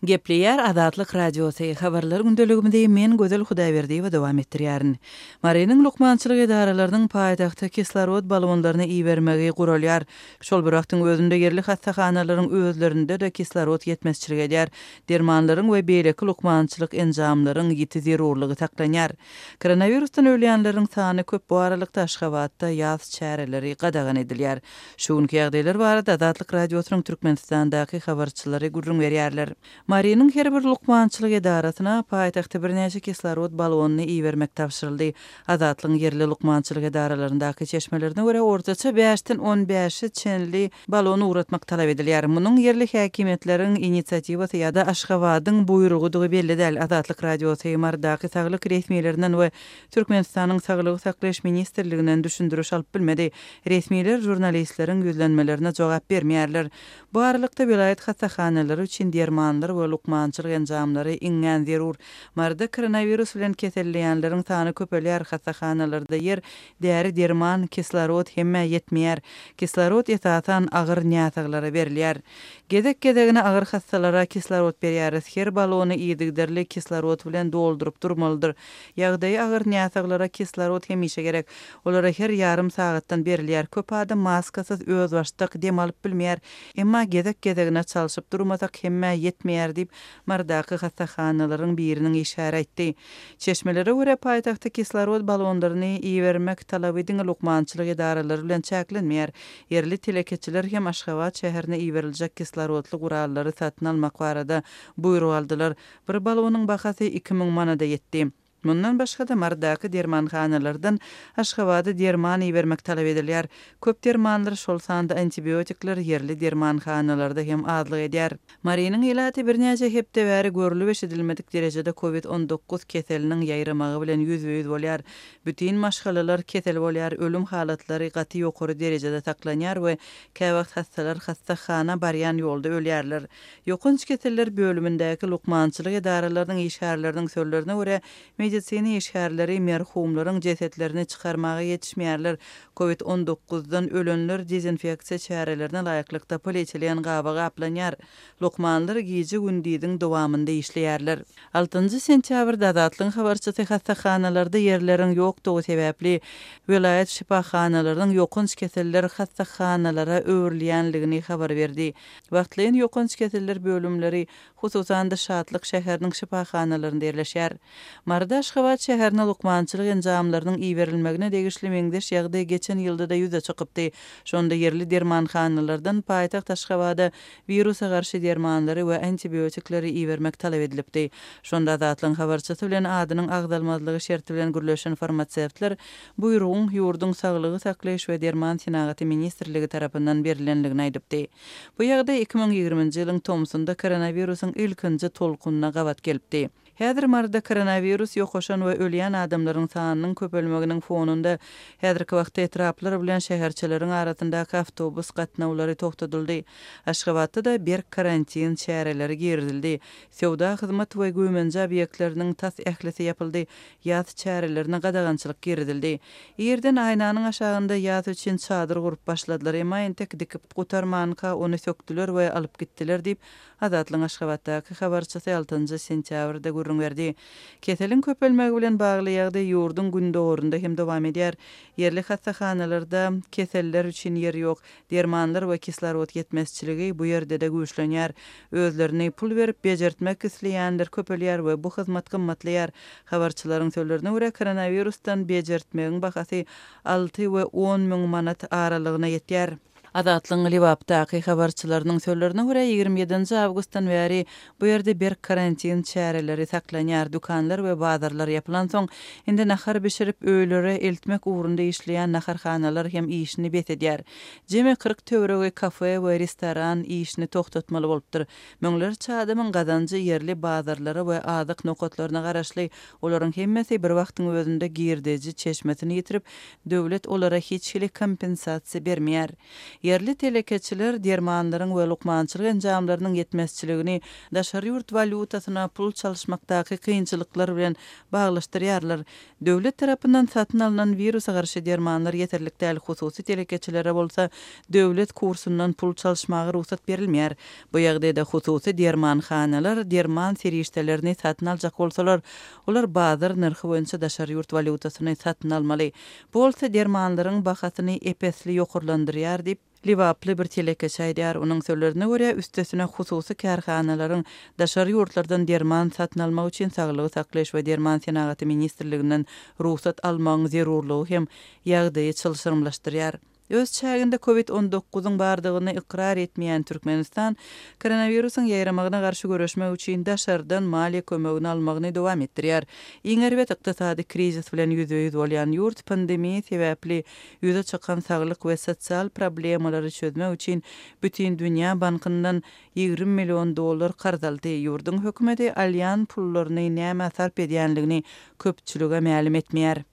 Gepleýär Azatlyk Radiosy, Habarlar gündeligimizi men Gözel Hudaýberdiýewa dowam etdirýärin. Marynyň lukmançylyk edaralarynyň paýtagta kislorod balonlaryny ibermegi guralýar. Şol bir wagtyň özünde ýerli hassahanalaryň özlerinde-de kislorod ýetmezçilik edýär. Dermanlaryň we beýleki lukmançylyk enjamlaryň ýiti zerurlygy saklanýar. Koronawirusdan ölýänleriň sany köp bu aralykda Aşgabatda ýas çäreleri gadagan edilýär. Şu günki ýagdaýlar barada Azatlyk Radiosynyň Türkmenistandaky habarçylary gürrüň berýärler. Marynyň her bir lukmançylyk edarasyna paýtagta birnäçe kislorod balonyny ibermek tabşyryldy. Azatlygyň ýerli lukmançylyk edaralaryndaky çeşmelerine görä, ortaça bäşden on bäşe çenli balon ugratmak talap edilýär. Munuň ýerli häkimiýetleriň inisiatiwasy ýa-da Aşgabadyň buýrugydygy belli däl. Azatlyk Radiosy Marydaky saglyk resmilerinden we Türkmenistanyň Saglygy saklaýyş ministrliginden düşündiriş alyp bilmedi. Resmiler žurnalistleriň ýüzlenmelerine jogap bermeýärler. Bu aralykda, welaýat hassahanalary üçin dermanlar we lukmançylyk enjamlary iňňän zerur. Maryda koronawirus bilen keselleýänleriň sany köpelýär, hassahanalarda ýer, däri-derman, kislorod hemmä ýetmeýär. Kislorod esasan agyr näsaglara berilýär. Gezek-gezegine agyr hassalara kislorod berýäris. Her balony yzygiderli kislorod bilen dolduryp durmalydyr. Ýagdaýy agyr näsaglara kislorod hemişe gerek. Olara her ýarym sagatdan berilýär. Köp adam maskasyz özbaşdak dem alyp bilmeýär. Emma gezek-gezegine çalşyp durmasak hemmä ýetmeýär diýip, Marydaky hassahanalaryň biriniň işgäri aýtdy. Çeşmelere görä, paýtagta kislorod balonlaryny ibermek talaby diňe lukmançylyk edaralary bilen çäklenmeýär. Ýerli telekeçiler hem Aşgabat şäherine iberiljek kislorodly gurallary satyn almak barada buýruk aldylar. Bir balonyň bahasy 2000 manada ýetdi. Mundan başga-da, Marydaky dermanhanalardan Aşgabada derman ibermek talap edilýär. Köp dermanlar, şol sanda antibiotikler ýerli dermanhanalarda hem azlyk edýär. Marynyň ilaty birnäçe hepde bäri görlüp-eşidilmedik derejede covid 19 keseliniň ýaýramagy bilen ýüzbe-ýüz bolýar. Bütin maşgalalar kesel bolýar, ölüm halatlary gaty ýokary derejede saklanýar we käwagt hassalar hassahana barýan ýolda ölýärler. Ýokanç keseller bölümindäki lukmançylyk edaralarynyň işgärleriniň sözlerine görä, medisina işgärleri merhumlaryň jesetlerini çykarmaga ýetişmeýärler. Covid on dokuzdan ölenler dezinfeksiýa çärelerine laýyklykda polietilen gaba gaplanýar. Lukmanlar gije-gündiziň dowamynda işleýärler. Altynjy sentýabrda Azatlygyň habarçysy hassahanalarda ýerleriň ýokdugy sebäpli, welaýat şypahanalarynyň ýokanç keseller hassahanalara öwrülýänligini habar berdi. Wagtlaýyn ýokanç keseller bölümleri, hususan-da, Şatlyk şäheriniň şypahanalarynda ýerleşýär. Maryda Aşgabat şäherine lukmançylyk enjamlarynyň iberilmegine degişli meňzeş ýagdaý geçen ýylda-da ýüze çykypdy. Şonda ýerli dermanhanalardan paýtagt Aşgabada wirusa garşy dermanlary we antibiotikleri ibermek talap edilipdi. Şonda Azatlygyň habarçysy bilen adynyň agzalmazlygy şerti bilen gürleşen farmasewtler buýrugyň ýurduň Saglygy saklaýyş we derman senagaty ministrligi tarapyndan berilendigini aýdypdy. Bu ýagdaý 2020-nji ýylyň tomsunda koronawirusyň ilkinji tolkunyna gabat gelipdi. Häzir Maryda koronawirus ýokaşan we ölýän adamlaryň sanynyň köpelmeginiň fonunda, häzirki wagtda etraplar bilen şäherçeleriň arasyndaky awtobus gatnawlary togtadyldy. Aşgabatda-da berk karantin çäreleri girizildi. Söwda, hyzmat we güýmenje obýektleriniň tas ählisi ýapyldy. Ýas çärelerine gadagançylyk girizildi. Irden aýnanyň aşagynda ýas üçin çadyr gurup başladylar, emma entek dikip gutarmanka ony sökdüler we alyp gitdiler diýip, Azatlygyň Aşgabatdaky habarçysy altynjy sentýabrda gürrüň berdi. Keseliň köpelmegi bilen bagly ýagdaý ýurduň gündogarynda hem dowam edýär. Ýerli hassahanalarda keseller üçin ýer ýok. Dermanlar we kislorod ýetmezçiligi bu ýerde-de güýçlenýär. Özlerini pul berip bejertmek isleýänler köpelýär we bu hyzmat gymmatlaýar. Habarçylaryň sözlerine görä, koronawirusdan bejertmegiň bahasy alty we on müň manat aralygyna ýetýär. Azatlygyň Lebapdaky habarçylarynyň sözlerine görä, 27-nji awgustdan bäri bu ýerde berk karantin çäreleri saklanýar, dükanlar we bazarlar ýapylansoň, indi nahar bişirip, öýlere eltmek ugrunda işleýän naharhanalar hem işini bes edýär. Jemi 40 töweregi kafe we restoran işini togtatmaly bolupdyr. Müňlerçe adamyň gazanjy ýerli bazarlara we azyk nokatlaryna garaşly, olaryň hemmesi bir wagtyň özünde girdeji çeşmesini ýitirip, döwlet olara hiç hili kompensasiýa bermeýär. Ýerli telekeçiler dermanlaryň we lukmançylyk enjamlarynyň ýetmezçiligini daşary ýurt walýutasyna pul çalyşmakdaky kynçylyklar bilen baglaşdyrýarlar. Döwlet tarapyndan satyn alnan wirusa garşy dermanlar ýeterlik däl, hususy telekeçilere bolsa döwlet kursundan pul çalyşmaga rugsat berilmeýär. Bu ýagdaýda hususy dermanhanalar derman serişdelerini satyn aljak bolsalar, olar bazar nyrhy boýunça daşary ýurt walýutasyny satyn almaly. Bu bolsa dermanlaryň bahasyny ep-esli ýokarlandyrýar diýip, lebaply bir telekeçi aýdýar. Onuň sözlerine görä, üstesine hususy kärhanalaryň daşary ýurtlardan derman satyn almak üçin Saglygy saklaýyş we derman senagaty ministrliginden rugsat almagyň zerurlygy hem ýagdaýy çylşyrymlaşdyrýar. Öz çäginde Covid on dokuzyň bardygyny ykrar etmeýän Türkmenistan koronawirusyň ýaýramagyna garşy göreşmek üçin daşardan maliýe kömegini almagyny dowam etdirýär. Iň erbet ykdysady krizis bilen ýüzbe-ýüz bolýan ýurt pandemiýa sebäpli ýüze çykan saglyk we sosial problemalary çözmek üçin Bütindünýä bankyndan 20 million dollar karz aldy. Ýurduň hökümeti alýan pullaryny nämä sarp edýänligini köpçülige mälim etmeýär.